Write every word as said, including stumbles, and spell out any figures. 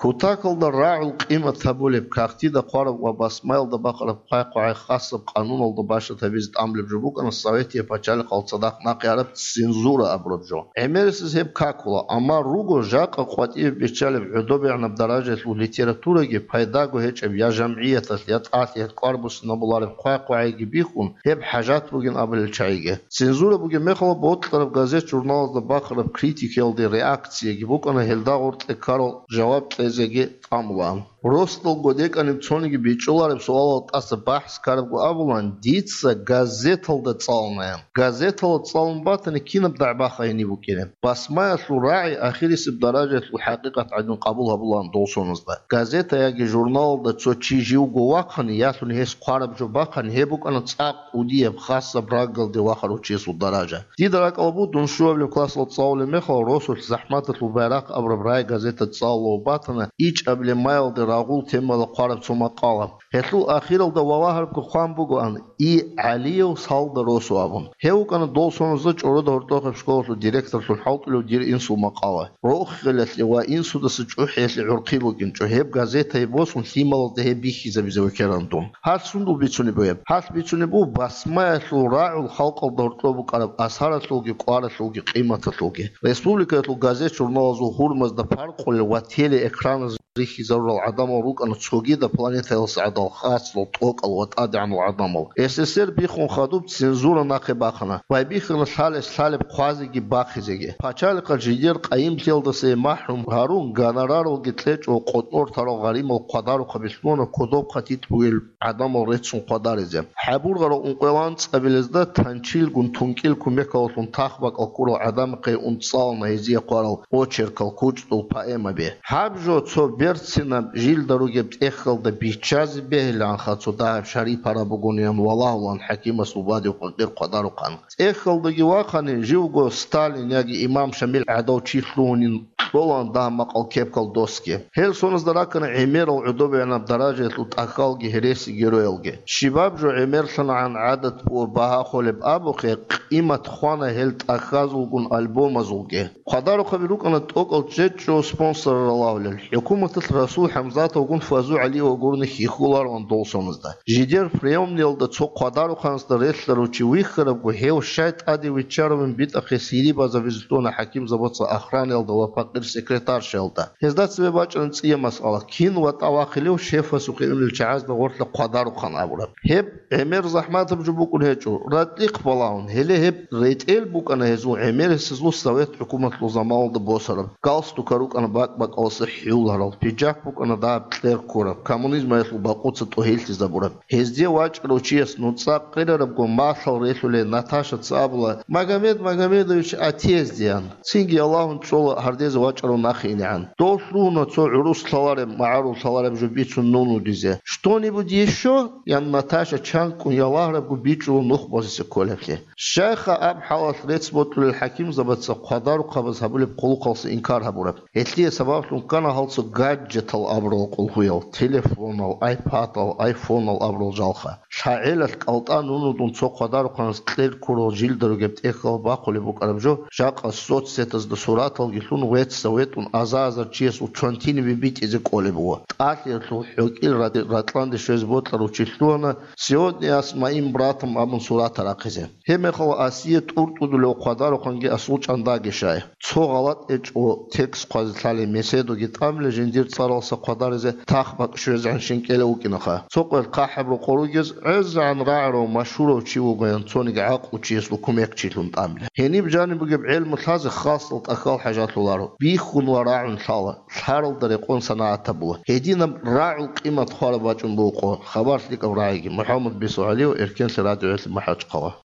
Кутакалда рагӀул къимат гьабулеб, кагътида хъвараб ва басмаялда бахъараб хъвай-хъвагӀай хасаб къануналда бащад гьабизе тӀамулеб жо букӀана советияб пачалихъал цадахъ нахъе гьараб цензура абураб жо. ГӀемерисез гьеб какула, амма руго жакъа къватӀибе биччалеб гӀодобегӀанаб даражаялъул литератураги пайдаго гьечӀеб я жамгӀияталъ, я тӀалъи гьелъ кӀвар буссинабулареб хъвай-хъвагӀайги бихьун, гьеб хӀажат бугин абулел чагӀиги. Цензура бугеб мехалъ бокьараб газет-журналазда бахъараб критикиялде реакцияги букӀана гьелда гъоркье ккарал жаваб кьезеги тӀамулаан. Росдал годекӀаниб цониги бичӀчӀулареб суалал тӀаса бахӀс ккарабго абулаан, дица газеталда цӀалунаян. Газеталда цӀалун батани, кинаб дагӀба-ха гьениб букӀинеб? Басмаялъул рагӀи ахирисеб даражаялъул хӀакъикъат гӀадин къабул гьабулаан дол соназда. Газета яги журналалда цо чи живго вахъани, ялъуни гьес хъвараб жо бахъани, гьеб букӀана цӀакъ кӀудияб хасаб рагъалде вахарав чиясул даража. Дида ракӀалда буго, дун щуабилеб классалда цӀалулеб мехалъ, росулъ «ЗахӀматалъул байрахъ» абураб рагӀи газета цӀалулев батана, ичӀабилеб маялде рагъул темаялда хъвараб цо макъала. Гьелъул ахиралда валагьарабго хъван бугоан, И. ГӀалиев салда росу абун. Гьев вукӀана дол соназда чӀоруда гьоркьохъеб школалъул директорлъун хӀалтӀулев дир инсул макъала. Рохелалъе ва инсудаса чӀухӀиялъе гӀурхъи букӀинчӀо, гьеб газетае босун лъималазда гьеб бихьизабизе векеран дун. Гьалъ сундул бицунеб бугеб? Гьалъ бицунеб буго басмаялъул рагӀул халкъалда гьоркьоб букӀараб асаралъулги, кӀваралъулги, къиматалъулги. Республикаялъул газет-журналазул гьурмазда паркъулел ва телеэкраназда рихьизарурал гӀадамал рукӀана цогидаб планетаялъул гӀадамал, хасал, тӀокӀал ва тӀадегӀанал гӀадамал. С С С Р биххун хадуб цензура нахъе бахъана. Байбихьана лъалес лъалеб хъвазеги бахъизеги. Пачалихъал жидер къайимлъиялдаса махӀрум гьарун, гонораралги кьечӀо къотӀнор тарал гъаримал хъвадарухъаби лъугьана кодоб хъатитӀ бугел гӀадамал реццун хъвадаризе. ХӀабургъарал ункъоялда анцӀабилезда танчилгун тункӀил кумекаллъун тахбакӀал ккурал гӀадамахъе унцӀцӀалана гьезие хъварал очеркал, кучӀдул поэмаби. Гьаб жо цо берцинаб жилда ругеб тӀехьалда биччазе бегьилаанха цо дагьаб шарипараб бугониан валагьулаан хӀакимасул бадиб къвакъир хъвадарухъан. ТӀехьалдаги вахъани, живго Сталин яги имам Шамил гӀадав чи лъугьунин кьолаан дагьаб макъал кепкал досги. Гьел соназда раккана гӀемерал гӀодобегӀанаб даражаялъул тӀахьалги гьереси героялги. Щибаб жо гӀемерлъанагӀан гӀадат буго багьа холеб абухъе, къимат хвана гьел тӀахьазулгун альбомазулги. Хъвадарухъаби рукӀана тӀокӀал чӀечӀо спонсорал ралагьулел. ХӀукуматалъ Расул ХӀамзатовгун Фазу ГӀалиевгурни хьихьулароан дол соназда. Жидер приемниялда цо хъвадарухъанасда релълъарав чи вихьарабго, гьев щай тӀаде виччаравин битӀахъе сири базабизе лъугьана хӀакимзабаца охранаялда ва пакъир секретаршаялда. Гьезда цебе бачӀана цӀияб масъала: кин ватӀа вахъилев шефасухъе унел чагӀазда гъорлъа хъвадарухъан абураб. Гьеб гӀемер захӀматаб жо букӀун гьечӀо, ратӀлихъ балагьун, гьеле гьеб ретӀел букӀана гьезул гӀемерисезул совет хӀукуматалъул заманалда босараб. Галстука рукӀана бакӀ-бакӀаласа хӀуларал, пиджак букӀана дагьаб кьер ккураб, коммунизмаялъул бакъуца тӀогьиллъизабураб. Гьезде вачӀарав чияс нуцӀа къерарабго малъал релълъулей Наташаца абула: «Магомед Магомедович, отъездеян». Цинги Аллагьун чӀола гьардезе вачӀарав нахъе инегӀан. Дов лъугьуна цо гӀурус лъалареб, магӀарул лъалареб жо бицун нунудизе. «Что-нибудь ещё?» — ян Наташа чанкӀкӀун ялагьарабго бичӀчӀула нух босизе кколеблъи. Щайха аб хӀалалъ рецц бокьулел хӀакимзабаца хъвадарухъабаз гьабулеб хъулухъалса инкар гьабураб? Гьелъие сабаблъун ккана гьалцо гаджетал абурал къулгьуял, телефонал, айпадал, айфонал абурал жалха. ЛъагӀелалъ кӀалтӀа нунудун цо хъвадарухъанас кьер ккурал жилда ругеб тӀехьал бахъулеб букӀараб жо, жакъа соцсетазда сураталги лъун, вецца ветӀун аза-азар чиясул чонтинибе битӀизе кӀолеб буго. ТӀалъиялъул хӀукӀил ра-, ратӀланде щвезе бокьарав чи лъугьана: «Сегодня я с моим братом» абун сурат рахъизе. Гьеб мехалъ Асие тӀуртӀудулев хъвадарухъанги асул чӀандаги щай. Цо гъалатӀ гьечӀо текст хъвазе лъалеб меседуги тӀамиле жиндир цӀаралса хъвадаризе тахбакӀ щвезегӀан щинкӀелев вукӀинаха. Цо къвел хъахӀаб рокъор ругез гӀезегӀан рагӀарав машгьурав чи вугоян цониги гӀакълу чиясул кумекчилъун тӀамиле. Гьениб жаниб бугеб гӀелму лъазе хасал тӀахьал хӀажалъуларо, бихьун ва рагӀун лъала, лъаралда рекъон санагӀат гьабула. Гьединаб рагӀул къимат хвараб бачӀун буго хабар лъикӀаб рагӀиги. МухӀаммад Бису ГӀалиев, Эркенлъи радиоялъе, МахӀачхъала.